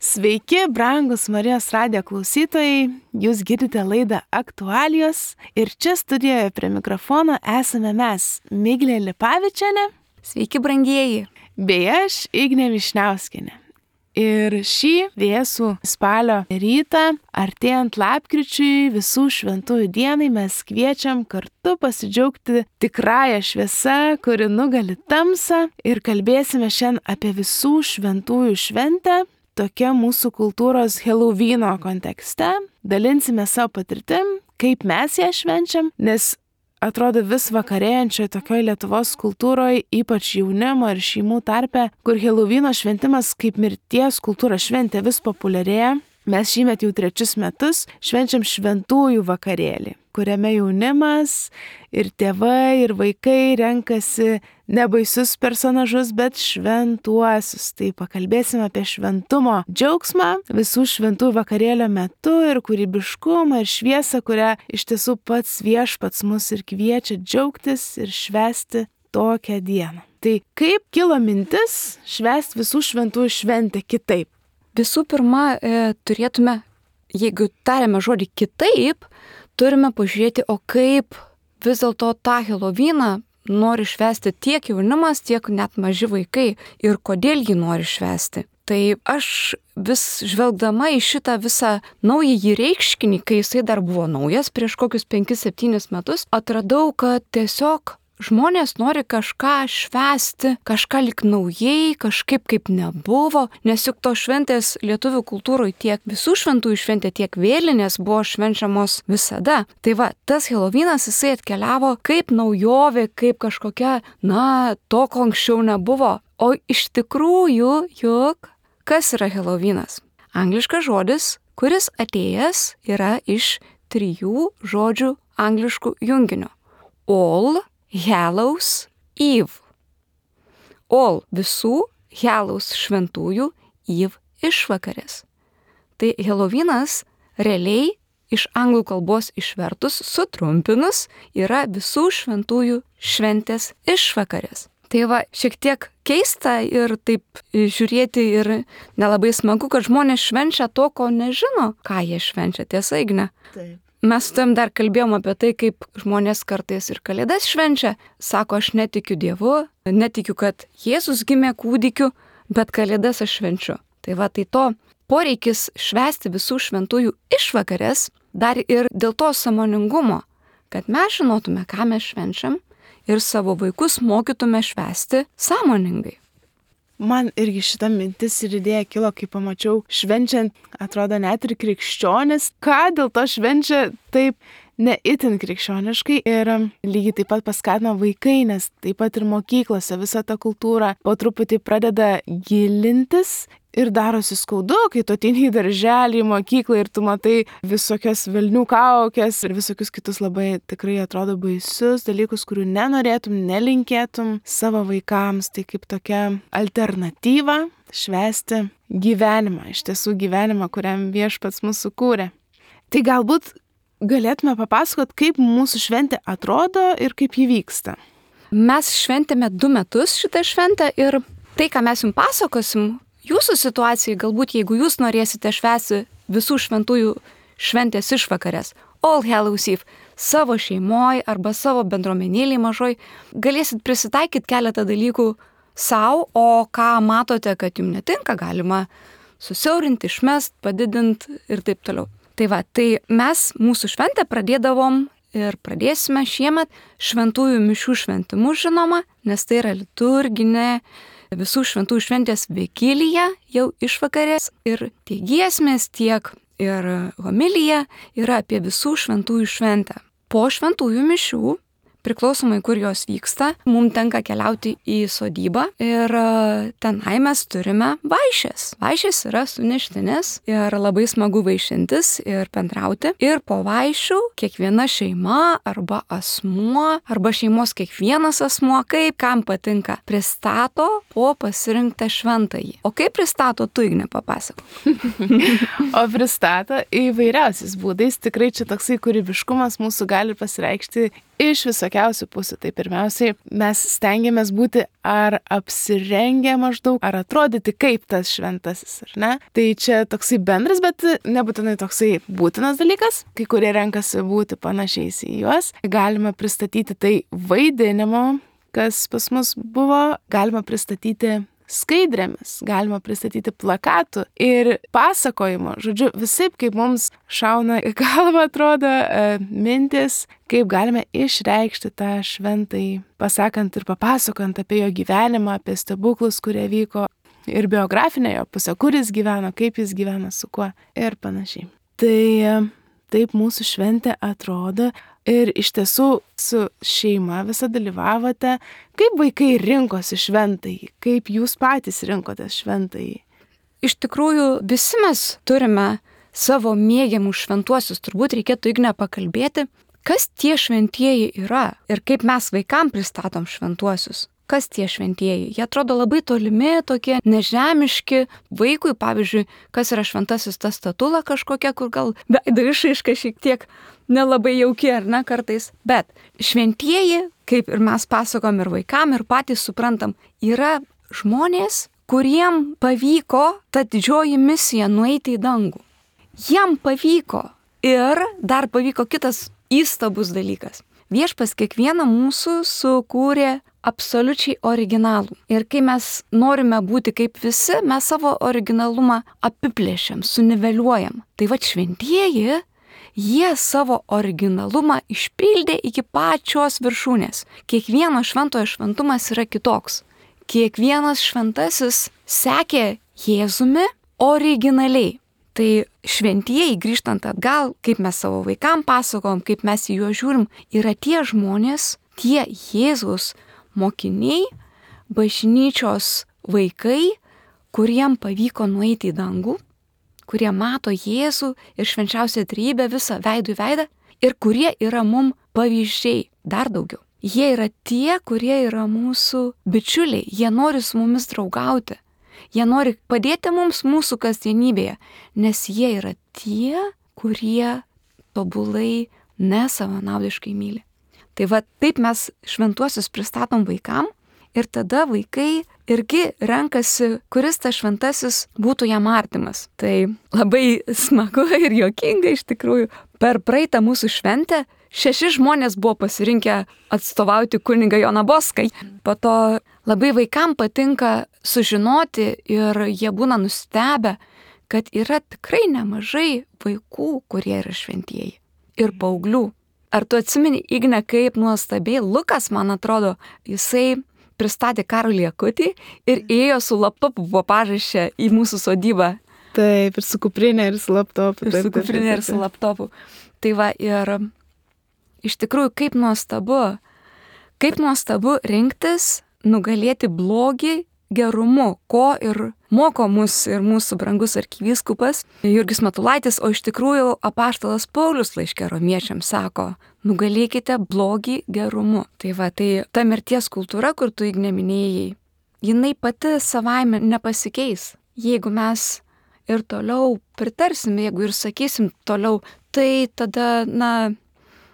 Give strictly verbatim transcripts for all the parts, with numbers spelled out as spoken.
Sveiki, brangus Marijos radijo klausytojai, jūs girdite laidą Aktualijos ir čia studijoje prie mikrofono esame mes, Miglė Lipavičienė. Sveiki, brangieji. Bei aš, Ignė Višniauskienė. Ir šį vėsų spalio rytą, artėjant lapkričiui visų šventųjų dienai, mes kviečiam kartu pasidžiaugti tikrąją šviesą, kuri nugali tamsą, ir kalbėsime šiandien apie visų šventųjų šventę. Tokia mūsų kultūros Helovyno kontekste. Dalinsime savo patirtim, kaip mes ją švenčiam, nes atrodo vis vakarėjančioje tokioje Lietuvos kultūroje, ypač jaunimo ir šeimų tarpe, kur Helovyno šventimas kaip mirties kultūros šventė vis populiarėja. Mes šįmet jau trečius metus švenčiam šventųjų vakarėlį, kuriame jaunimas ir tėvai ir vaikai renkasi ne baisius personažus, bet šventuosius. Tai pakalbėsime apie šventumo džiaugsmą visų šventųjų vakarėlio metu ir kūrybiškumą ir šviesą, kurią iš tiesų pats Viešpats mus ir kviečia džiaugtis ir švęsti tokią dieną. Tai kaip kilo mintis švęsti visų šventųjų šventę kitaip? Visų pirma, e, turėtume, jeigu tariame žodį kitaip, turime pažiūrėti, o kaip vis dėlto tą Helovyną nori švęsti tiek jaunimas, tiek net maži vaikai ir kodėl jį nori švęsti. Tai aš vis žvelgdama į šitą visą naująjį reiškinį, kai jisai dar buvo naujas prieš kokius penkis septynis metus, atradau, kad tiesiog žmonės nori kažką švęsti, kažką lik naujai, kažkaip kaip nebuvo, nes juk to šventės lietuvių kultūroje tiek visų šventųjų šventė, tiek vėlinės buvo švenčiamos visada. Tai va, tas Helovynas jisai atkeliavo kaip naujovė, kaip kažkokia, na, to, ko anksčiau nebuvo. O iš tikrųjų, juk, kas yra Helovynas? Angliškas žodis, kuris atėjęs yra iš trijų žodžių angliškų junginio. All Hallows Eve. All visų, Hallows šventųjų, Eve išvakarės. Tai Helovynas realiai iš anglų kalbos išvertus, sutrumpinus, yra visų šventųjų šventės išvakarės. Tai va, šiek tiek keista ir taip žiūrėti ir nelabai smagu, kad žmonės švenčia to, ko nežino, ką jie švenčia, tiesa, Igne? Taip. Mes su tam dar kalbėjom apie tai, kaip žmonės kartais ir kalėdas švenčia. Sako, aš netikiu Dievu, netikiu, kad Jėzus gimė kūdikiu, bet kalėdas aš švenčiu. Tai va, tai to poreikis švęsti visų šventųjų išvakarės dar ir dėl to sąmoningumo, kad mes žinotume, ką mes švenčiam ir savo vaikus mokytume švęsti sąmoningai. Man irgi šita mintis ir idėja kilo, kai pamačiau švenčiant, atrodo, net ir krikščionis, ką dėl to švenčia taip ne itin krikščioniškai ir lygiai taip pat paskatina vaikai, nes taip pat ir mokyklose visa ta kultūra po truputį pradeda gilintis ir darosi skaudu, kai tu ateini į darželį, į mokyklą ir tu matai visokias velnių kaukes ir visokius kitus labai tikrai atrodo baisius dalykus, kurių nenorėtum, nelinkėtum savo vaikams. Tai kaip tokia alternatyva švęsti gyvenimą, iš tiesų gyvenimą, kuriam Viešpats mūsų kūrė. Tai galbūt galėtume papasakot, kaip mūsų šventė atrodo ir kaip ji vyksta. Mes šventėme du metus šitą šventę ir tai, ką mes jums pasakosim, jūsų situacijai, galbūt jeigu jūs norėsite švęsti visų šventųjų šventės išvakarės, All Hallows Eve, savo šeimoje arba savo bendruomenėlėje mažoj, galėsit prisitaikyti keletą dalykų savo, o ką matote, kad jums netinka, galima susiaurinti, išmest, padidinti ir taip toliau. Tai va, tai mes mūsų šventę pradėdavom ir pradėsime šiemet šventųjų mišių šventimu, žinoma, nes tai yra liturginė visų šventųjų šventės vigilija, jau išvakarės, ir tiek giesmės, tiek ir homilija yra apie visų šventųjų šventę. Po šventųjų mišių, priklausomai kur jos vyksta, mums tenka keliauti į sodybą ir tenai mes turime vaišės. Vaišės yra suneštinės ir labai smagu vaišintis ir bendrauti. Ir po vaišių kiekviena šeima arba asmuo, arba šeimos kiekvienas asmuo, kaip kam patinka, pristato po pasirinktą šventąjį. O kaip pristato, tu, Igne, papasakok. O pristato įvairiausiais būdais. Tikrai čia toksai kūrybiškumas mūsų gali pasireikšti iš visokiausių pusių. Tai pirmiausiai mes stengiamės būti ar apsirengę maždaug, ar atrodyti kaip tas šventasis, ar ne? Tai čia toksai bendras, bet nebūtinai toksai būtinas dalykas. Kai kurie renkasi būti panašiais į juos. Galima pristatyti tai vaidinimo, kas pas mus buvo, galima pristatyti skaidrėmis, galima pristatyti plakatų ir pasakojimo. Žodžiu, visaip kaip mums šauna į galvą atrodo e, mintis, kaip galime išreikšti tą šventąjį, pasakant ir papasakant apie jo gyvenimą, apie stebuklus, kurie vyko, ir biografinę jo pusę, kur jis gyveno, kaip jis gyveno, su kuo ir panašiai. Tai e, taip mūsų šventė atrodo. Ir iš tiesų su šeima visą dalyvavote. Kaip vaikai rinkosi šventąjį? Kaip jūs patys rinkotės šventąjį? Iš tikrųjų, visi mes turime savo mėgiamus šventuosius. Turbūt reikėtų Igne pakalbėti, kas tie šventieji yra ir kaip mes vaikam pristatom šventuosius. Kas tie šventieji? Jie atrodo labai tolimi, tokie nežemiški. Vaikui, pavyzdžiui, kas yra šventasis, ta statula kažkokia, kur gal veido išraiška šiek tiek nelabai jauki, ar ne, kartais. Bet šventieji, kaip ir mes pasakom ir vaikam, ir patys suprantam, yra žmonės, kuriem pavyko ta didžioji misija nueiti į dangų. Jiem pavyko. Ir dar pavyko kitas įstabus dalykas. Viešpas kiekvieną mūsų sukūrė absoliučiai originalų. Ir kai mes norime būti kaip visi, mes savo originalumą apiplėšiam, suniveliuojam. Tai va šventieji, jie savo originalumą išpildė iki pačios viršūnės. Kiekvieno šventojo šventumas yra kitoks. Kiekvienas šventasis sekė Jėzumi originaliai. Tai šventieji, grįžtant atgal, kaip mes savo vaikam pasakom, kaip mes į juos žiūrim, yra tie žmonės, tie Jėzaus mokiniai, bažnyčios vaikai, kuriem pavyko nueiti į dangų, kurie mato Jėzų ir švenčiausią trejybę visą veidų į veidą ir kurie yra mum pavyzdžiai dar daugiau. Jie yra tie, kurie yra mūsų bičiuliai, jie nori su mumis draugauti, jie nori padėti mums mūsų kasdienybėje, nes jie yra tie, kurie tobulai nesavanaudiškai myli. Tai va taip mes šventuosius pristatom vaikam ir tada vaikai irgi renkasi, kuris tas šventasis būtų jam artimas. Tai labai smagu ir juokinga iš tikrųjų. Per praeitą mūsų šventę šeši žmonės buvo pasirinkę atstovauti kunigą Joną Boską. Po to labai vaikam patinka sužinoti ir jie būna nustebę, kad yra tikrai nemažai vaikų, kurie yra šventieji. Ir paauglių. Ar tu atsimeni, Igne, kaip nuostabiai Lukas, man atrodo, jisai pristatė Karolį Akutį ir ėjo su laptopu buvo pažašę į mūsų sodybą. Taip, ir su kuprinė, ir su laptopu. Ir su kuprinė, ir su laptopu. Tai va, ir iš tikrųjų, kaip nuostabu, kaip nuostabu rinktis, nugalėti blogį gerumu, ko ir moko mus ir mūsų brangus arkivyskupas Jurgis Matulaitis, o iš tikrųjų apaštalas Paulius laiške romiečiams sako, nugalėkite blogį gerumu. Tai va, tai ta mirties kultūra, kur tu Igne minėjai, jinai pati savaime nepasikeis. Jeigu mes ir toliau pritarsime, jeigu ir sakysim toliau, tai tada, na,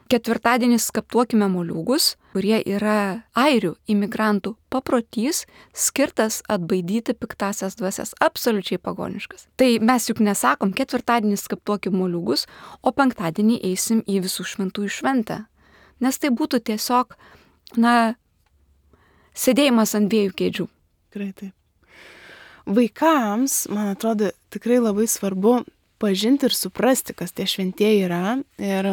ketvirtadienį skaptuokime moliūgus, kurie yra airių imigrantų paprotys, skirtas atbaidyti piktasias dvasias, absoliučiai pagoniškas. Tai mes juk nesakom, ketvirtadienį skaptuokim moliūgus, o penktadienį eisim į visų šventųjų šventę. Nes tai būtų tiesiog, na, sėdėjimas ant dviejų kėdžių. Tikrai taip. Vaikams, man atrodo, tikrai labai svarbu pažinti ir suprasti, kas tie šventieji yra. Ir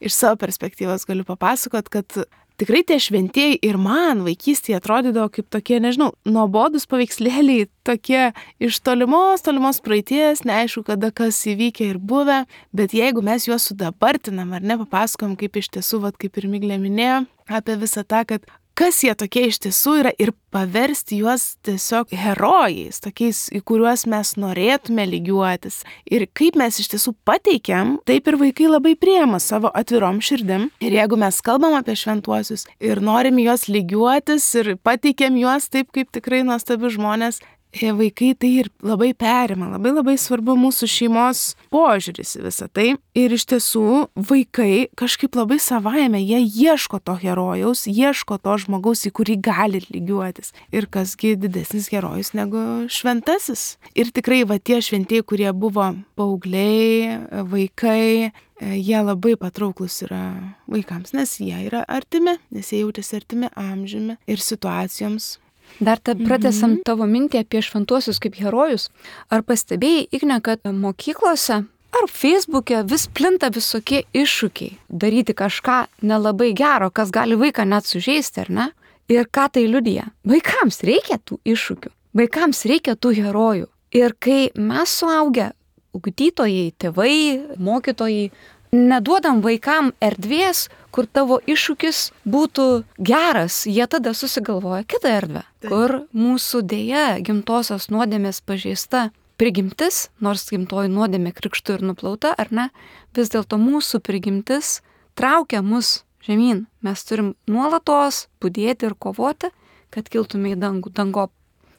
iš savo perspektyvos galiu papasakot, kad tikrai tie šventieji ir man vaikystėje atrodydavo kaip tokie, nežinau, nuobodus paveikslėliai, tokie iš tolimos, tolimos praeities, neaišku, kada kas įvykę ir buvę, bet jeigu mes juos sudabartinam ar ne, papasakom, kaip iš tiesų, vat, kaip ir Miglė minėjo, apie visą tą, kad kas jie tokie iš tiesų yra ir paversti juos tiesiog herojais, tokiais, į kuriuos mes norėtume lygiuotis. Ir kaip mes iš tiesų pateikiam, taip ir vaikai labai priema savo atvirom širdim. Ir jeigu mes kalbam apie šventuosius ir norim juos lygiuotis ir pateikiam juos taip, kaip tikrai nuostabi žmonės, vaikai tai ir labai perima, labai labai svarbu mūsų šeimos požiūris į visą tai. Ir iš tiesų vaikai kažkaip labai savaime, jie ieško to herojaus, ieško to žmogaus, į kurį gali lygiuotis. Ir kasgi didesnis herojus negu šventasis. Ir tikrai va tie šventieji, kurie buvo paaugliai, vaikai, jie labai patrauklus yra vaikams, nes jie yra artimi, nes jie jautėsi artimi amžiumi ir situacijoms. Dar ta pratęsam mm-hmm. tavo mintį apie šventuosius kaip herojus. Ar pastebėjai, Igne, kad mokyklose ar Facebook'e vis plinta visokie iššūkiai daryti kažką nelabai gero, kas gali vaiką net sužeisti, ar ne? Ir ką tai liudija? Vaikams reikia tų iššūkių, vaikams reikia tų herojų. Ir kai mes suaugę, ugdytojai, tėvai, mokytojai, neduodam vaikam erdvės, kur tavo iššūkis būtų geras, jie tada susigalvoja kitą erdvę, Taip. Kur mūsų dėja gimtosios nuodėmės pažeista prigimtis, nors gimtoji nuodėmė krikštu ir nuplauta, ar ne, vis dėlto mūsų prigimtis traukia mus žemyn. Mes turim nuolatos budėti ir kovoti, kad kiltume į dangų, dangop.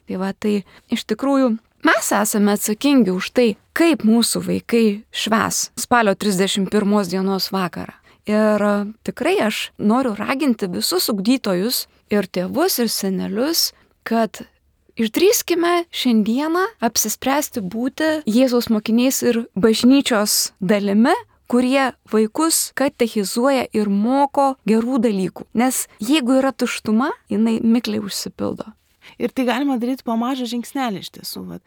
Tai va, tai iš tikrųjų mes esame atsakingi už tai, kaip mūsų vaikai švęs spalio trisdešimt pirmos dienos vakarą. Ir tikrai aš noriu raginti visus ugdytojus ir tėvus ir senelius, kad išdrįskime šiandieną apsispręsti būti Jėzaus mokiniais ir bažnyčios dalimi, kurie vaikus katechizuoja ir moko gerų dalykų. Nes jeigu yra tuštuma, jinai mikliai užsipildo. Ir tai galima daryti po mažą žingsnelį iš tiesų. Vat.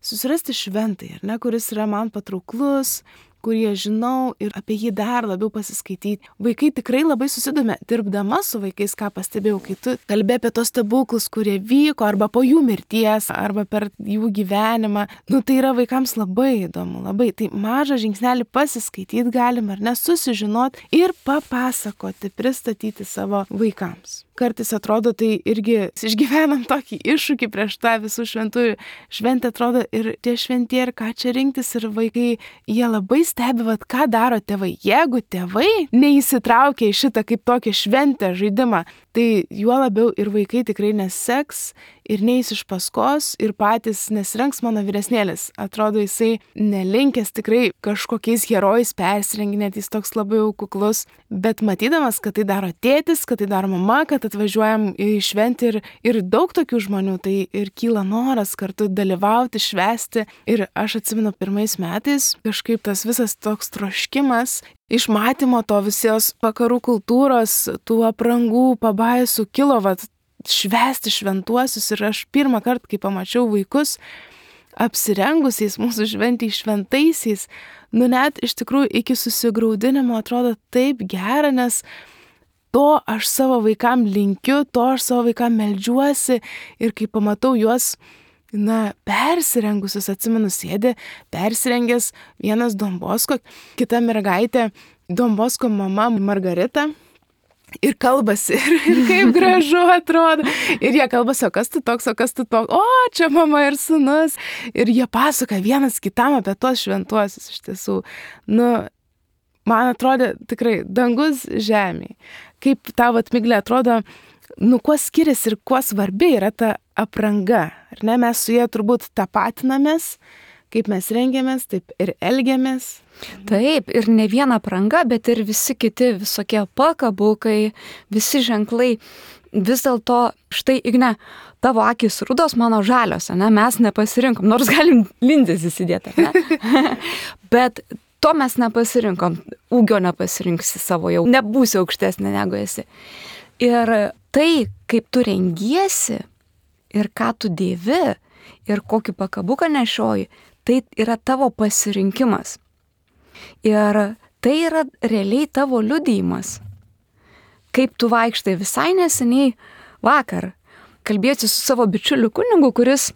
Susirasti šventąjį, ar ne, kuris yra man patrauklus, kurį aš žinau ir apie jį dar labiau pasiskaityti. Vaikai tikrai labai susidomė, dirbdama su vaikais, ką pastebėjau, kai tu kalbė apie tos stebuklus, kurie vyko arba po jų mirties, arba per jų gyvenimą. Nu, tai yra vaikams labai įdomu, labai. Tai mažą žingsnelį pasiskaityti galim, ar ne, susižinot ir papasakoti, pristatyti savo vaikams. Kartais atrodo, tai irgi išgyvenam tokį iššūkį prieš tą visų šventųjų šventę, atrodo, ir tie šventie, ir ką čia rinktis, ir vaikai, jie labai stebi, vat, ką daro tėvai. Jeigu tėvai neįsitraukia į šitą kaip tokią šventę žaidimą, tai juo labiau ir vaikai tikrai neseks ir neis iš paskos ir patys nesirengs. Mano vyresnėlis. Atrodo, jisai nelinkęs tikrai kažkokiais herojais persirenginėti, jis toks labai kuklus, bet matydamas, kad tai daro tėtis, kad tai daro mama, kad atvažiuojam į šventę ir, ir daug tokių žmonių, tai ir kyla noras kartu dalyvauti, švęsti. Ir aš atsimenu pirmais metais kažkaip tas visas toks troškimas iš matymo to visos vakarų kultūros, tų aprangų, pabaisų kilo, vat, švęsti šventuosius. Ir aš pirmą kartą, kai pamačiau vaikus apsirengusiais mūsų šventį šventaisiais, nu net iš tikrųjų iki susigraudinimo atrodo taip gera, nes to aš savo vaikam linkiu, to aš savo vaikam meldžiuosi. Ir kai pamatau juos, na, persirengusius, atsimenu, sėdė persirengęs vienas Don Bosko, kita mergaitė, Don Bosko mama Margarita, ir kalbasi, ir, ir kaip gražu atrodo. Ir jie kalbasi, o kas tu toks, o kas tu toks, o čia mama ir sūnus. Ir jie pasaka vienas kitam apie tuos šventuosius iš tiesų. Nu, man atrodo tikrai dangus žemėje. Kaip tavo atmiglė atrodo, nu, kuo skiriasi ir kuo svarbi yra ta apranga. Ar ne, mes su jie turbūt tapatinamės, kaip mes rengiamės, taip ir elgiamės. Taip, ir ne viena apranga, bet ir visi kiti visokie pakabukai, visi ženklai. Vis dėlto, štai, Igne, tavo akys rudos, mano žalios, ne, mes nepasirinkom, nors galim linzes įsidėti, ne? Bet to mes nepasirinkom, ūgio nepasirinksi savo, jau nebūsi aukštesnė negu esi. Ir tai, kaip tu rengiesi ir ką tu dėvi ir kokį pakabuką nešioji, tai yra tavo pasirinkimas. Ir tai yra realiai tavo liudijimas. Kaip tu vaikštai visai neseniai vakar, kalbėsiu su savo bičiuliu kunigu, kuris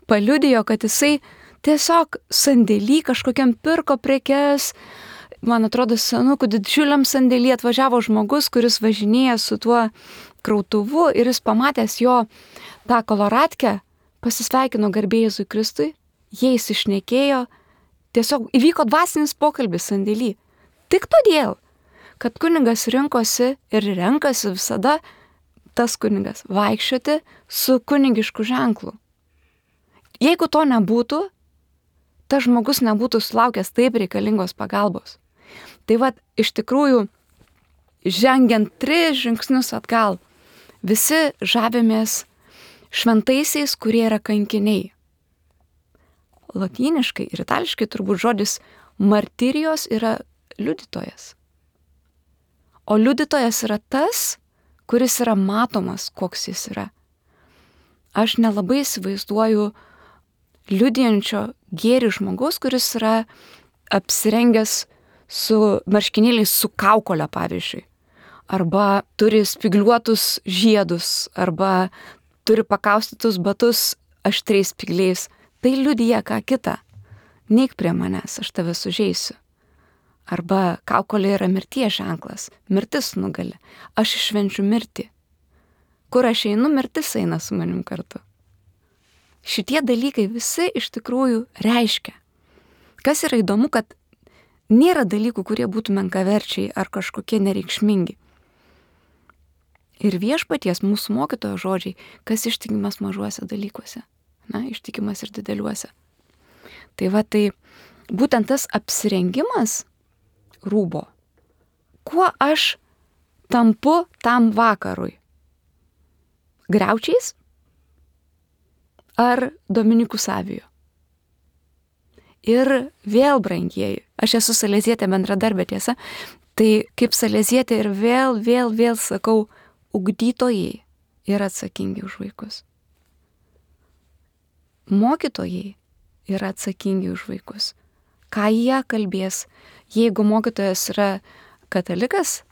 paliudijo, kad jisai tiesiog sandėly kažkokiam pirko prekes. Man atrodo, senukų didžiuliam sandėly atvažiavo žmogus, kuris važinėja su tuo krautuvu ir jis pamatęs jo tą koloratkę, pasisveikino garbė Jėzui Kristui, jie įsišnekėjo, tiesiog įvyko dvasinis pokalbis sandėly. Tik todėl, kad kunigas rinkosi ir renkasi visada tas kunigas vaikščioti su kunigišku ženklu. jeigu to nebūtų, tas žmogus nebūtų sulaukęs taip reikalingos pagalbos. Tai vat, iš tikrųjų, žengiant tris žingsnius atgal, visi žavimės šventaisiais, kurie yra kankiniai. Lotyniškai ir itališkai turbūt žodis martirijos yra liudytojas. O liudytojas yra tas, kuris yra matomas, koks jis yra. Aš nelabai įsivaizduoju liudijančio gėrį žmogus, kuris yra apsirengęs su marškinėliais su kaukolė, pavyzdžiui. Arba turi spigliuotus žiedus, arba turi pakaustytus batus aštriais spygliais. Tai liudija ką kitą. Neik prie manęs, aš tave sužeisiu. Arba kaukolė yra mirties ženklas. Mirtis nugali. Aš išvenčiu mirtį. Kur aš einu, mirtis eina su manim kartu. Šitie dalykai visi iš tikrųjų reiškia. Kas yra įdomu, kad nėra dalykų, kurie būtų menkaverčiai ar kažkokie nereikšmingi. Ir viešpaties mūsų mokytojo žodžiai, kas ištikimas mažuose dalykuose, na, ištikimas ir dideliuose. Tai va, tai būtent tas apsirengimas rūbo, kuo aš tampu tam vakarui? Griaučiais ar Dominikų Saviju? Ir vėl, brangieji, aš esu salezietė bendradarbė, tiesa, tai kaip salezietė ir vėl, vėl, vėl sakau, ugdytojai yra atsakingi už vaikus. Mokytojai yra atsakingi už vaikus. Ką jie kalbės? Jeigu mokytojas yra katalikas,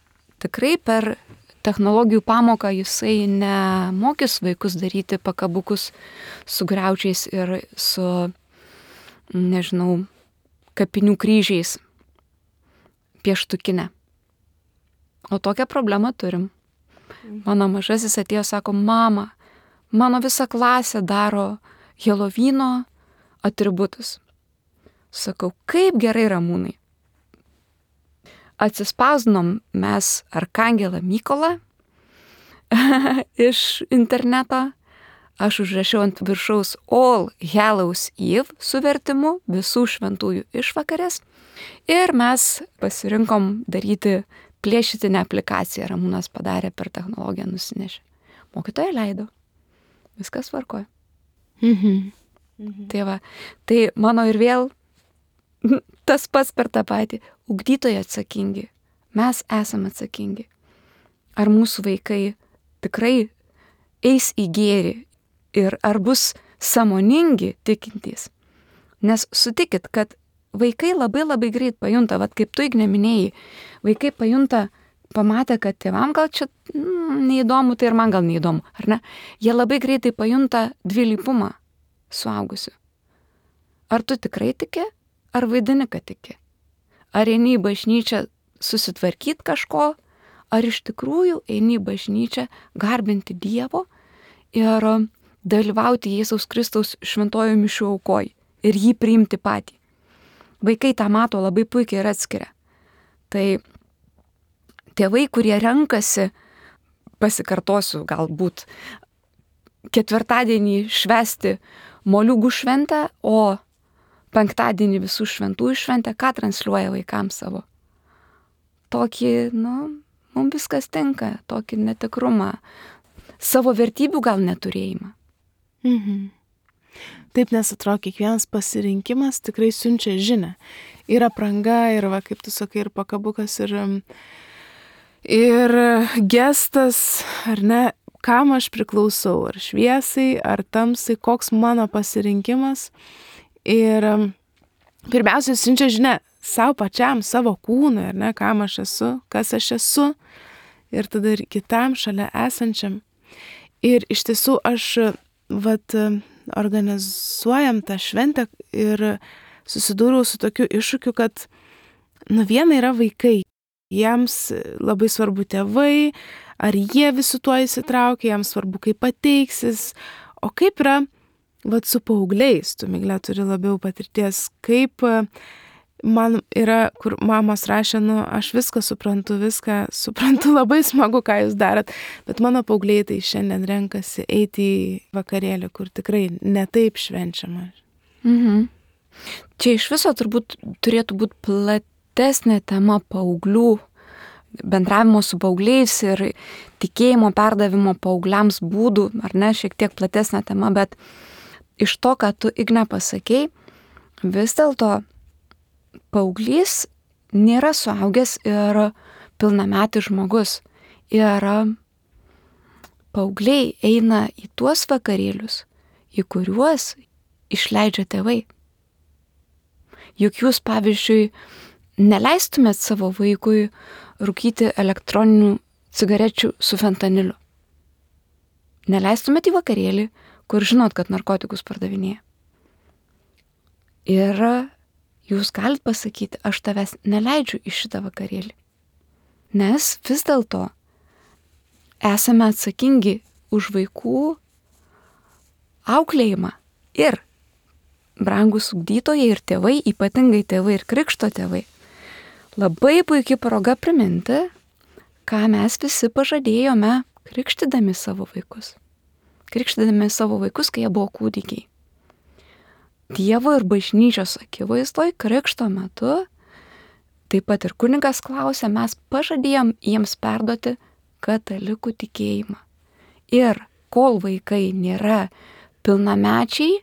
tikrai per technologijų pamoką jisai nemokys vaikus daryti pakabukus su griaučiais ir su, nežinau, kapinių kryžiais pieštukinę. O tokią problemą turim. Mano mažasis atėjo, sako, mama, mano visa klasė daro Helovyno atributus. Sakau, kaip gerai, Ramūnai. Atsispausdinom mes Arkangelą Mykolą iš interneto. Aš užrašiau ant viršaus All Hallows Eve su vertimu visų šventųjų išvakarės. Ir mes pasirinkom daryti plėšitinę aplikaciją. Ramūnas padarė per technologiją, nusinešė. Mokytoja leido. Viskas tvarkoja. Mhm. Mhm. Tai va, tai mano ir vėl tas pats per tą patį. Ugdytojai atsakingi. Mes esame atsakingi. Ar mūsų vaikai tikrai eis į gėrį ir ar bus sąmoningi tikintys? Nes sutikit, kad vaikai labai labai greit pajunta, vat kaip tu, Igne, minėjai, vaikai pajunta, pamatė, kad tėvam gal čia mm, neįdomu, tai ir man gal neįdomu, ar ne? Jie labai greitai pajunta dvilypumą suaugusių. Ar tu tikrai tiki, ar vaidini, kad tiki? Ar eini į bažnyčią susitvarkyti kažko, ar iš tikrųjų eini į bažnyčią garbinti Dievo ir dalyvauti Jėzaus Kristaus šventojo mišių aukoj ir jį priimti patį. Vaikai tą mato labai puikiai ir atskiria. Tai tėvai, kurie renkasi, pasikartosiu galbūt, ketvirtadienį švęsti moliūgų šventę, o penktadienį visų šventųjų šventę, ką transliuoja vaikams savo? Tokį, nu, mums viskas tinka, tokį netikrumą, savo vertybių gal neturėjimą. Mhm. Taip, nes atrodo, kiekvienas pasirinkimas tikrai siunčia žinią. Ir apranga, ir, va, kaip tu sakai, ir pakabukas, ir, ir gestas, ar ne, kam aš priklausau, ar šviesai, ar tamsai, koks mano pasirinkimas. Ir pirmiausia, siunčia žinia savo pačiam, savo kūnui, ar ne, kam aš esu, kas aš esu, ir tada ir kitam šalia esančiam. Ir iš tiesų aš, vat, organizuojam tą šventę ir susidūriau su tokiu iššūkiu, kad, nu, viena yra vaikai, jiems labai svarbu tėvai, ar jie visu tuo įsitraukia, jiems svarbu, kaip pateiksis, o kaip yra, vat, su paaugliais, tu, Migle, turi labiau patirties, kaip man yra, kur mamos rašė, nu, aš viską suprantu, viską suprantu, labai smagu, ką jūs darot, bet mano paaugliai tai šiandien renkasi eiti į vakarėlį, kur tikrai netaip švenčiama. Mhm. Čia iš viso turbūt turėtų būti platesnė tema paauglių, bendravimo su paaugliais ir tikėjimo perdavimo paaugliams būdų, ar ne, šiek tiek platesnė tema, bet iš to, ką tu, Igne, pasakei, vis dėlto paauglys nėra suaugęs ir pilnametis žmogus. Ir paaugliai eina į tuos vakarėlius, į kuriuos išleidžia tėvai. Juk jūs, pavyzdžiui, neleistumėt savo vaikui rūkyti elektroninių cigarečių su fentaniliu. Neleistumėt į vakarėlį, kur žinot, kad narkotikus pardavinėja. Ir jūs galit pasakyti, aš tavęs neleidžiu į šitą vakarėlį. Nes vis dėlto esame atsakingi už vaikų auklėjimą. Ir brangus ugdytojai ir tėvai, ypatingai tėvai ir krikšto tėvai, labai puikiai proga priminti, ką mes visi pažadėjome krikštydami savo vaikus. Krikštydami savo vaikus, kai jie buvo kūdikiai. Dievo ir bažnyčios akivaizdoj krikšto metu, taip pat ir kunigas klausė, mes pažadėjom jiems perduoti katalikų tikėjimą. Ir kol vaikai nėra pilnamečiai,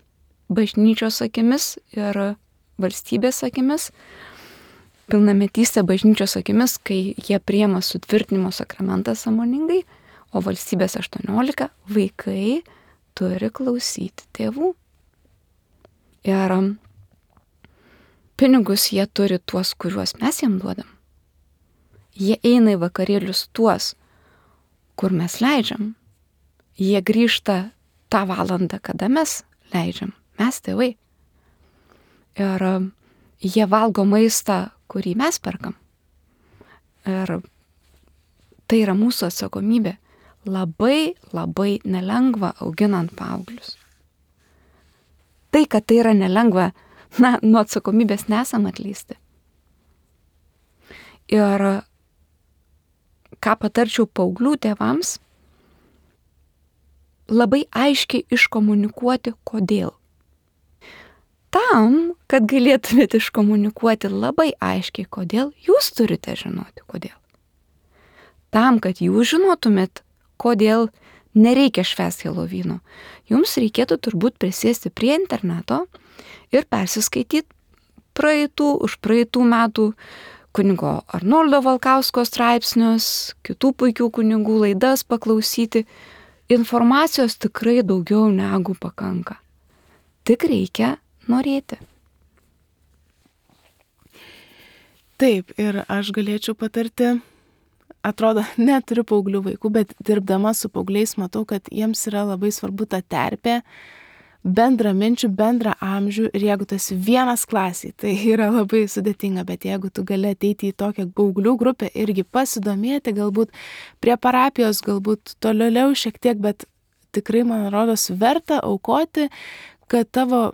bažnyčios akimis ir valstybės akimis, pilnametystė bažnyčios akimis, kai jie priima sutvirtinimo sakramentą sąmoningai, o valstybės aštuoniolika, vaikai turi klausyti tėvų. Ir pinigus jie turi tuos, kuriuos mes jiem duodam. Jie eina į vakarėlius tuos, kur mes leidžiam. Jie grįžta tą valandą, kada mes leidžiam. Mes tėvai. Ir jie valgo maistą, kurį mes perkam. Ir tai yra mūsų atsakomybė. Labai, labai nelengva auginant paauglius. Tai, kad tai yra nelengva, na, nuo atsakomybės nesam atleisti. Ir ką patarčiau paauglių tėvams, labai aiškiai iškomunikuoti, kodėl. Tam, kad galėtumėte iškomunikuoti labai aiškiai, kodėl, jūs turite žinoti, kodėl. Tam, kad jūs žinotumėt, kodėl nereikia švęsti Helovyno, jums reikėtų turbūt prisėsti prie interneto ir persiskaityti praeitų, už praeitų metų kunigo Arnoldo Valkausko straipsnius, kitų puikių kunigų laidas paklausyti. Informacijos tikrai daugiau negu pakanka. Tik reikia norėti. Taip, ir aš galėčiau patarti, atrodo, neturiu paauglių vaikų, bet dirbdama su paaugliais matau, kad jiems yra labai svarbu ta terpė, bendra minčių, bendra amžių, ir jeigu tu esi vienas klasiai, tai yra labai sudėtinga, bet jeigu tu gali ateiti į tokią paauglių grupę, irgi pasidomėti, galbūt prie parapijos, galbūt toliau šiek tiek, bet tikrai, man rodos, verta aukoti, kad tavo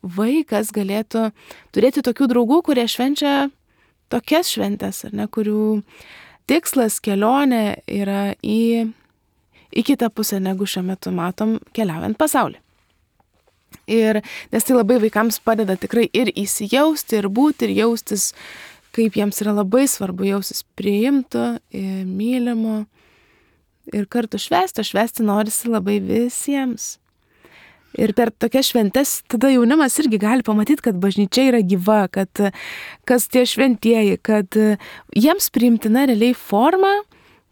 vaikas galėtų turėti tokių draugų, kurie švenčia tokias šventes, ar ne, kurių tikslas, kelionė yra į, į kitą pusę, negu šiuo metu matom keliaujant pasaulį. Ir nes tai labai vaikams padeda tikrai ir įsijausti, ir būti, ir jaustis, kaip jiems yra labai svarbu jaustis priimtų, mylimų ir kartu švęsti, o švęsti norisi labai visiems. Ir per tokias šventes tada jaunimas irgi gali pamatyti, kad bažnyčia yra gyva, kad kas tie šventieji, kad jiems priimtina realiai forma,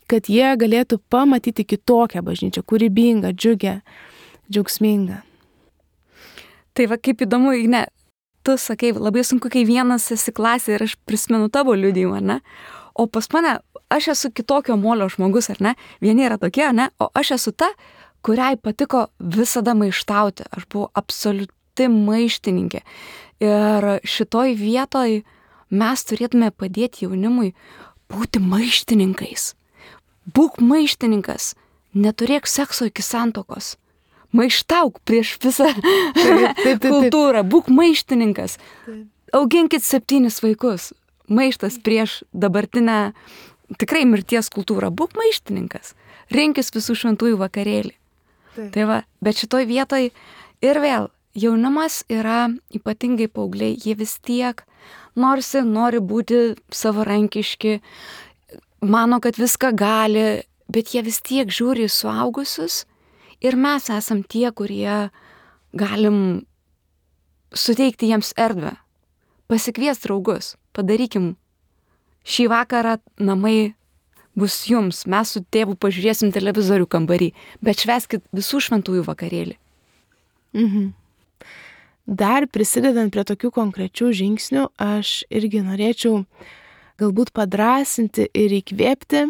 kad jie galėtų pamatyti kitokią bažnyčią, kūrybingą, džiugę, džiaugsmingą. Tai va, kaip įdomu, ne, tu sakai, labai sunku, kai vienas esi klasė ir aš prisimenu tavo liudijimą, ne? O pas mane, aš esu kitokio molio žmogus, ar ne? Vieni yra tokie, ne? O aš esu ta, kuriai patiko visada maištauti. Aš buvau absoliuti maištininkė. Ir šitoj vietoj mes turėtume padėti jaunimui būti maištininkais. Būk maištininkas, neturėk sekso iki santuokos. Maištauk prieš visą taip, taip, taip, kultūrą, būk maištininkas. Taip. auginkit septynis vaikus. Maištas prieš dabartinę tikrai mirties kultūrą. Būk maištininkas. Rinkis visų šventųjų vakarėlį. Taip. Tai va, bet šitoj vietoj ir vėl jaunimas yra ypatingai paaugliai, jie vis tiek norisi, nori būti savarankiški, mano, kad viską gali, bet jie vis tiek žiūri į suaugusius ir mes esam tie, kurie galim suteikti jiems erdvę, pasikviesti draugus, padarykim šį vakarą namai bus jums, mes su tėvu pažiūrėsim televizorių kambarį, bet švęskit visų šventųjų vakarėlį. Mhm. Dar prisidedant prie tokių konkrečių žingsnių, aš irgi norėčiau galbūt padrasinti ir įkvėpti,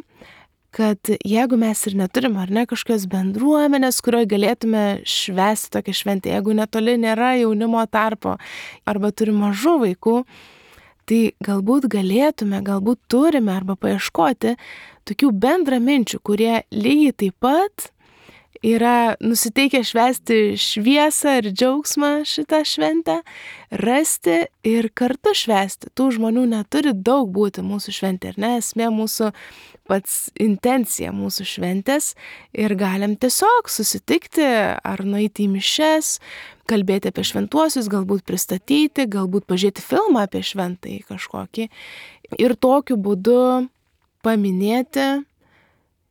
kad jeigu mes ir neturim ar ne kažkokios bendruomenės, kurioje galėtume švęsti tokią šventę, jeigu netoli nėra jaunimo tarpo arba turim mažų vaikų, tai galbūt galėtume, galbūt turime arba paieškoti tokių bendraminčių, kurie lygiai taip pat yra nusiteikę švęsti šviesą ir džiaugsmą šitą šventę, rasti ir kartu švęsti. Tų žmonių neturi daug būti mūsų šventė, ar ne? Esmė mūsų pats intencija mūsų šventės ir galim tiesiog susitikti ar nueiti į mišias, kalbėti apie šventuosius, galbūt pristatyti, galbūt pažiūrėti filmą apie šventąjį kažkokį ir tokiu būdu paminėti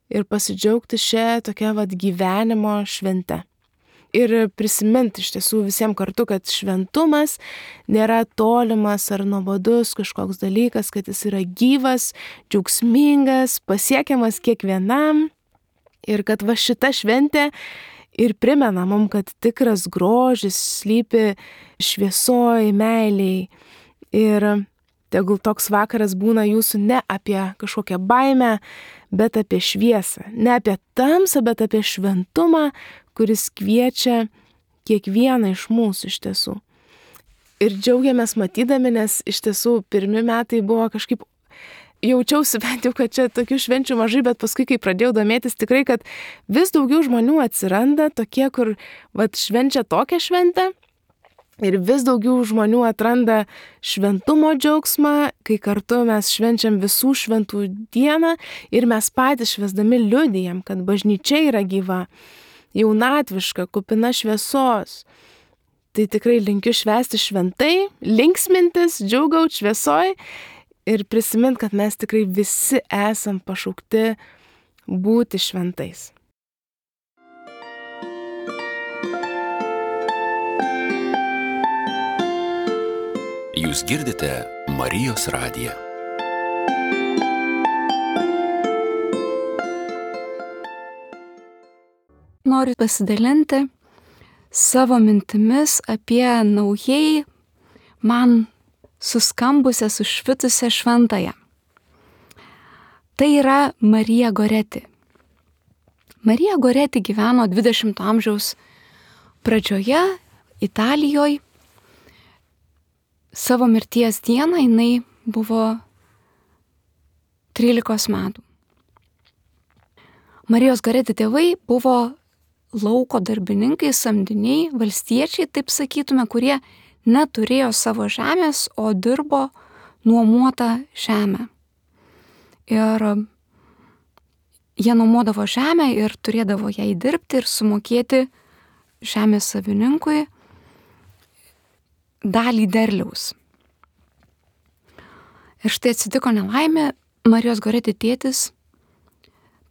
ir pasidžiaugti šią tokią vat gyvenimo šventę. Ir prisiminti iš tiesų visiems kartu, kad šventumas nėra tolimas ar nuobodus kažkoks dalykas, kad jis yra gyvas, džiaugsmingas, pasiekiamas kiekvienam ir kad va šita šventė ir primena mums, kad tikras grožis slypi šviesoj, meiliai ir tegul toks vakaras būna jūsų ne apie kažkokią baimę, bet apie šviesą. Ne apie tamsą, bet apie šventumą, kuris kviečia kiekvieną iš mūsų iš tiesų. Ir džiaugiamės matydami, nes iš tiesų pirmi metai buvo kažkaip, jaučiausi bent jau, kad čia tokių švenčių mažai, bet paskui, kai pradėjau domėtis, tikrai, kad vis daugiau žmonių atsiranda tokie, kur vat, švenčia tokią šventę. Ir vis daugiau žmonių atranda šventumo džiaugsmą, kai kartu mes švenčiam visų šventų dieną ir mes patys švęsdami liudijam, kad bažnyčia yra gyva, jaunatviška, kupina šviesos. Tai tikrai linkiu švęsti šventai, linksmintis, džiaugauti šviesoj ir prisimint, kad mes tikrai visi esam pašaukti būti šventais. Jūs girdite Marijos radiją. Noriu pasidalinti savo mintimis apie naujai man suskambusią, sušvitusią šventąją. Tai yra Marija Goreti. Marija Goreti gyveno dvidešimto amžiaus pradžioje Italijoje. Savo mirties dieną jinai buvo trylikos metų. Marijos Goreti tėvai buvo lauko darbininkai, samdiniai, valstiečiai, taip sakytume, kurie neturėjo savo žemės, o dirbo nuomotą žemę. Ir jie nuomodavo žemę ir turėdavo jai dirbti ir sumokėti žemės savininkui dalį derliaus. Ir štai atsitiko nelaimė, Marijos Goreti tėtis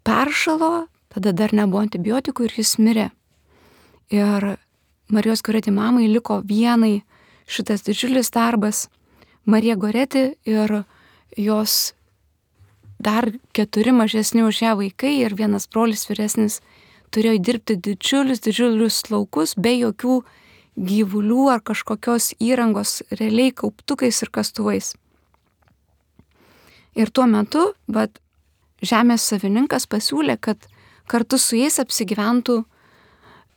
peršalo, tada dar nebuvo antibiotikų ir jis mirė. Ir Marijos Goreti mamai liko vienai šitas didžiulis darbas. Marija Goreti ir jos dar keturi mažesni už ją vaikai ir vienas brolis vyresnis turėjo dirbti didžiulius, didžiulius laukus be jokių gyvulių ar kažkokios įrangos, realiai kauptukais ir kastuvais. Ir tuo metu, bet žemės savininkas pasiūlė, kad kartu su jais apsigyventų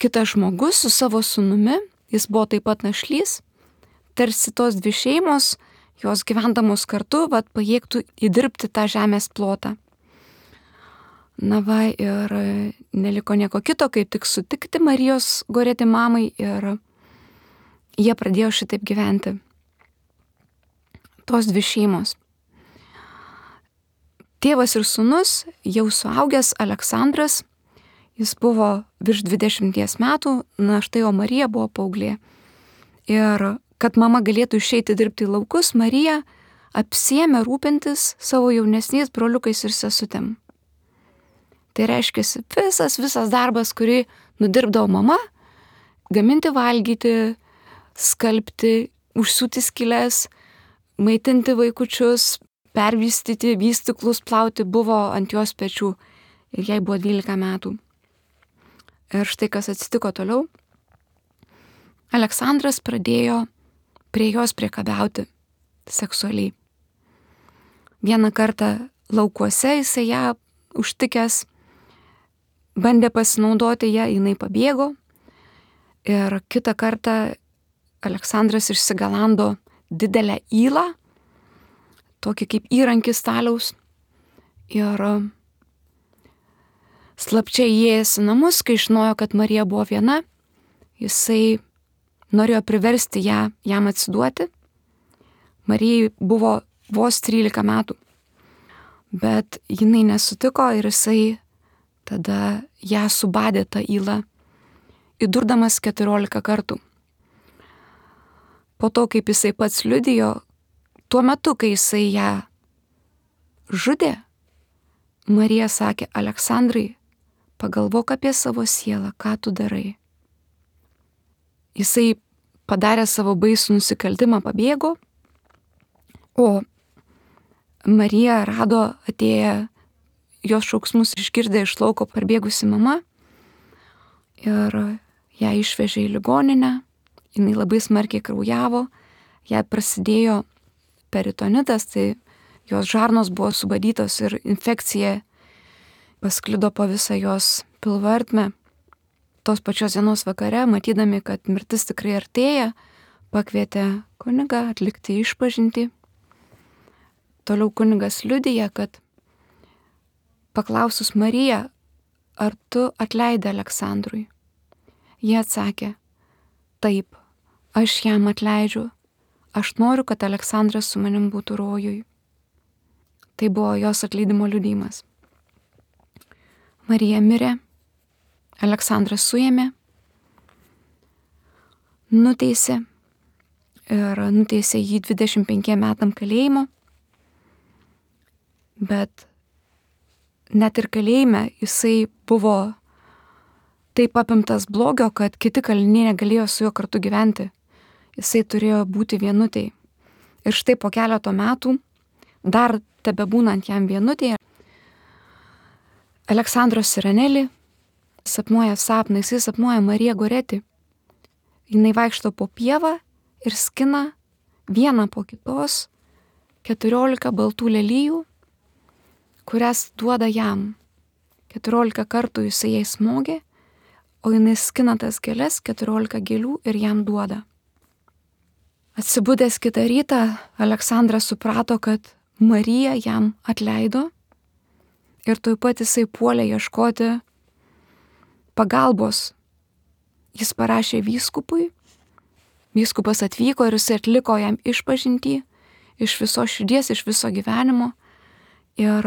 kitas žmogus su savo sūnumi, jis buvo taip pat našlys, tarsi tos dvi šeimos, jos gyvendamos kartu, vat, pajėgtų įdirbti tą žemės plotą. Na va, ir neliko nieko kito, kaip tik sutikti Marijos Goreti mamai ir jie pradėjo šitaip gyventi. tos dvi šeimos. Tėvas ir sūnus, jau suaugęs Aleksandras, jis buvo virš dvidešimties metų, na štai o Marija buvo paauglė. Ir kad mama galėtų išeiti dirbti į laukus, Marija apsiėmė rūpintis savo jaunesniais broliukais ir sesutėm. Tai reiškia visas, visas darbas, kurį nudirbdavo mama, gaminti valgyti, skalbti, užsiūti skylės, maitinti vaikučius, pervystyti, vystyklus plauti, buvo ant jos pečių ir jai buvo dvylika metų. Ir štai kas atsitiko toliau. Aleksandras pradėjo prie jos priekabiauti seksualiai. Vieną kartą laukuose jisai ją užtikęs, bandė pasinaudoti ją, jinai pabėgo. Ir kitą kartą Aleksandras išsigalando didelę ylą, tokį kaip įrankį staliaus. Ir slapčia įėjęs į namus, kai žinojo, kad Marija buvo viena, jisai norėjo priversti ją, jam atsiduoti. Marijai buvo vos trylika metų, bet jinai nesutiko ir jisai tada ją subadė tą ylą, įdurdamas keturiolika kartų. Po to, kaip jisai pats liudijo, tuo metu, kai jisai ją žudė, Marija sakė: Aleksandrai, pagalvok apie savo sielą, ką tu darai. Jisai padarė savo baisų nusikaltimą, pabėgo, o Marija rado atėję jos šauksmus išgirdę iš lauko parbėgusi mama ir ją išvežė į ligoninę. Jinai labai smarkiai kraujavo, jai prasidėjo peritonitas, tai jos žarnos buvo subadytos ir infekcija pasklido po visą jos pilvo ertmę. Tos pačios dienos vakare, matydami, kad mirtis tikrai artėja, pakvietė kunigą atlikti išpažintį. Toliau kunigas liudija, kad paklausus Mariją, ar tu atleidai Aleksandrui? Jie atsakė: taip, aš jam atleidžiu, aš noriu, kad Aleksandras su manim būtų rojui. Tai buvo jos atleidimo liudijimas. Marija mirė, Aleksandras suėmė, nuteisė ir nuteisė jį dvidešimt penkiem metam kalėjimo, bet net ir kalėjime jisai buvo taip apimtas blogio, kad kiti kaliniai negalėjo su juo kartu gyventi. Jisai turėjo būti vienutėj. Ir štai po keleto metų, dar tebebūnant jam vienutėje, Aleksandros Sirenelį sapnuoja sapną, jisai sapnuoja Mariją Goretį. Jinai vaikšto po pievą ir skina vieną po kitos keturiolika baltų lelijų, kurias duoda jam. Keturiolika kartų jisai jai smogė, o jinai skina tas gėles, keturiolika gėlių ir jam duoda. Atsibudęs kitą rytą, Aleksandras suprato, kad Marija jam atleido ir tuoj pat jisai puolė ieškoti pagalbos. Jis parašė vyskupui, vyskupas atvyko ir jisai atliko jam išpažintį iš viso širdies, iš viso gyvenimo ir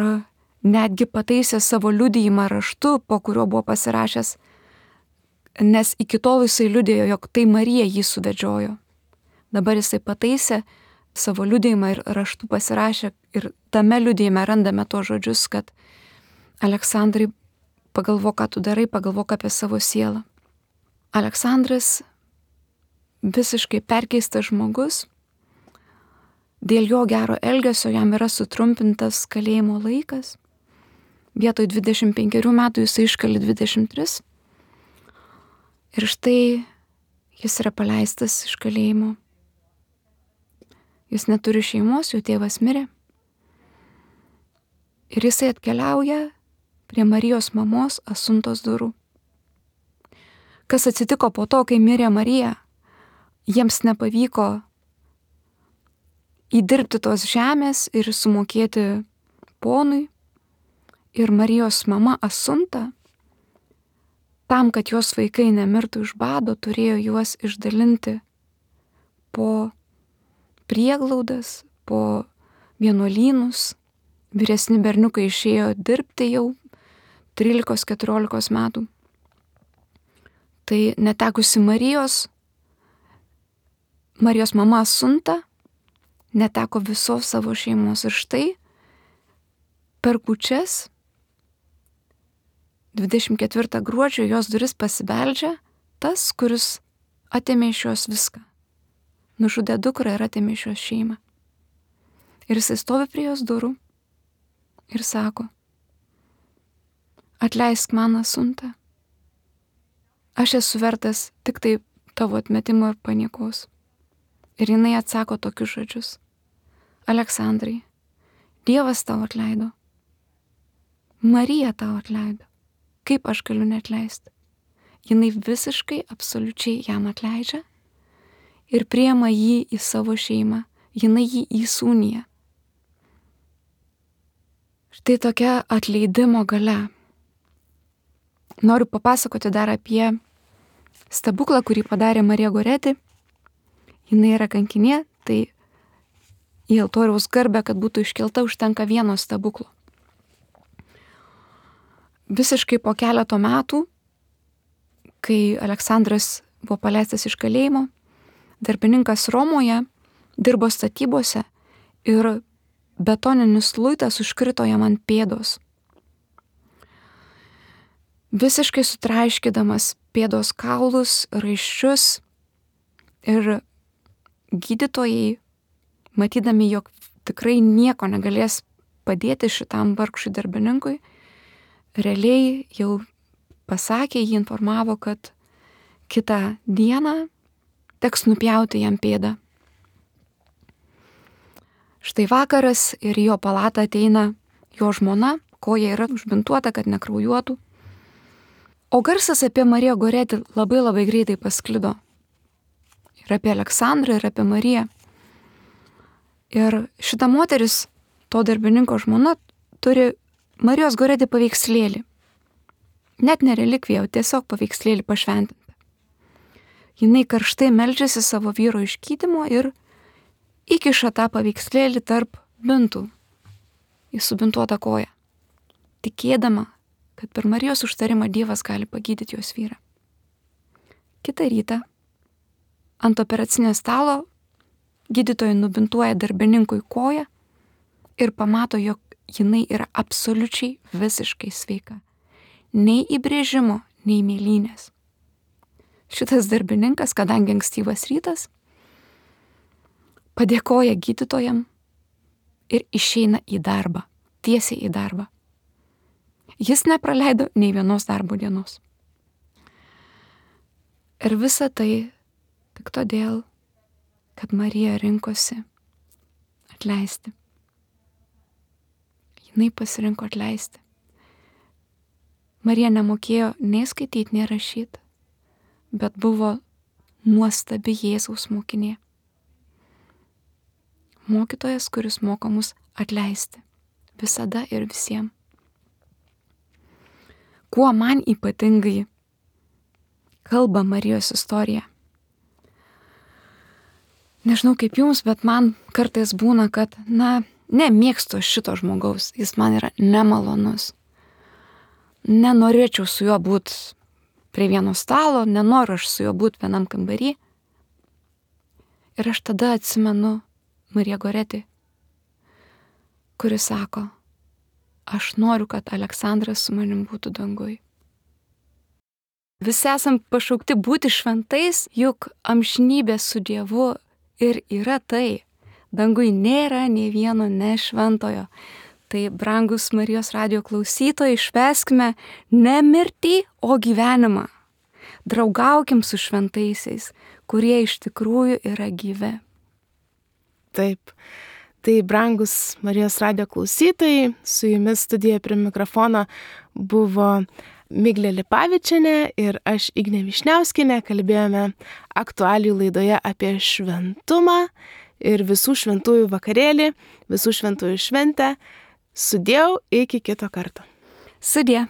netgi pataisė savo liudijimą raštu, po kurio buvo pasirašęs, nes iki tol jisai liudijo, jog tai Marija jį suvedžiojo. Dabar jisai pataisė savo liudijimą ir raštu pasirašė ir tame liudijime randame to žodžius, kad Aleksandrai, pagalvok, ką tu darai, pagalvok apie savo sielą. Aleksandras, visiškai perkeistas žmogus, dėl jo gero elgesio jam yra sutrumpintas kalėjimo laikas. Vietoj dvidešimt penkerių metų jisai iškali dvidešimt tris. Ir štai jis yra paleistas iš kalėjimo. Jis neturi šeimos, jo tėvas mirė. Ir jisai atkeliauja prie Marijos mamos Asuntos durų. Kas atsitiko po to, kai mirė Marija? Jiems nepavyko įdirbti tos žemės ir sumokėti ponui. Ir Marijos mama Asunta, tam, kad jos vaikai nemirtų iš bado, turėjo juos išdalinti po prieglaudas, po vienuolynus, vyresni berniukai išėjo dirbti jau trylikos keturiolikos metų. Tai netekusi Marijos, Marijos mama Asunta neteko visos savo šeimos ir štai per kūčias dvidešimt ketvirtą gruodžio jos duris pasibeldžia tas, kuris atėmė iš jos viską. Nužudė dukrą ir atėmė iš jos šeimą. Ir jisai stovi prie jos durų ir sako, atleisk man, Asunta. Aš esu vertas tik tai tavo atmetimo ir paniekos. Ir jinai atsako tokius žodžius. Aleksandrai, Dievas tau atleido. Marija tau atleido. Kaip aš galiu neatleisti? Jinai visiškai, absoliučiai jam atleidžia ir priima jį į savo šeimą. Jinai jį įsūnija. Štai tokia atleidimo galia. Noriu papasakoti dar apie stebuklą, kurį padarė Marija Goreti. Jinai yra kankinė, tai į altoriaus garbę, kad būtų iškelta, užtenka vieno stebuklo. Visiškai po keleto metų, kai Aleksandras buvo paleistas iš kalėjimo, darbininkas Romoje dirbo statybose ir betoninis luitas užkrito jam ant pėdos. Visiškai sutraiškydamas pėdos kaulus, raiščius ir gydytojai, matydami, jog tikrai nieko negalės padėti šitam vargšui darbininkui, realiai jau pasakė, jį informavo, kad kitą dieną teks nupjauti jam pėdą. Štai vakaras ir į jo palatą ateina jo žmona, koja yra užbintuota, kad nekraujuotų. O garsas apie Mariją Goretį labai labai greitai pasklido. Ir apie Aleksandrą, ir apie Mariją. Ir šita moteris, to darbininko žmona, turi Marijos Goretį paveikslėlį. Net ne relikviją, o tiesiog paveikslėlį pašventintą. Jinai karštai meldžiasi savo vyro išgydymo ir įkiša tą paveikslėlį tarp bintų į subintuotą koją, tikėdama, kad per Marijos užtarimą Dievas gali pagydyti jos vyrą. Kitą rytą ant operacinio stalo gydytojai nubintuoja darbininkui koją ir pamato, jog jinai yra absoliučiai visiškai sveika. Nei įbrėžimo, nei mėlynės. Šitas darbininkas, kadangi ankstyvas rytas, padėkoja gydytojam ir išeina į darbą, tiesiai į darbą. Jis nepraleido nei vienos darbo dienos. Ir visa tai tik todėl, kad Marija rinkosi atleisti. Jinai pasirinko atleisti. Marija nemokėjo nei skaityti, nei rašyti, bet buvo nuostabi Jėzaus mokinė. Mokytojas, kuris moko mus atleisti visada ir visiems. Kuo man ypatingai kalba Marijos istorija? Nežinau kaip jums, bet man kartais būna, kad, na, nemėgstu šito žmogaus, jis man yra nemalonus. Nenorėčiau su juo būti prie vieno stalo, nenoriu aš su juo būti vienam kambarį. Ir aš tada atsimenu Mariją Goretį, kuris sako, aš noriu, kad Aleksandras su manim būtų dangui. Visi esam pašaukti būti šventais, juk amžinybė su Dievu ir yra tai. Dangui nėra nei vieno nešventojo. Tai, brangus Marijos radijo klausytojai, švęskime ne mirtį, o gyvenimą. Draugaukim su šventaisiais, kurie iš tikrųjų yra gyvi. Taip. Tai, brangus Marijos radijo klausytojai, su jumis studijoje prie mikrofono buvo Miglė Lipavičienė ir aš Ignė Višniauskienė. Kalbėjome aktualijų laidoje apie šventumą ir visų šventųjų vakarėlį, visų šventųjų šventę. Sudiev, iki kito karto. Sudie.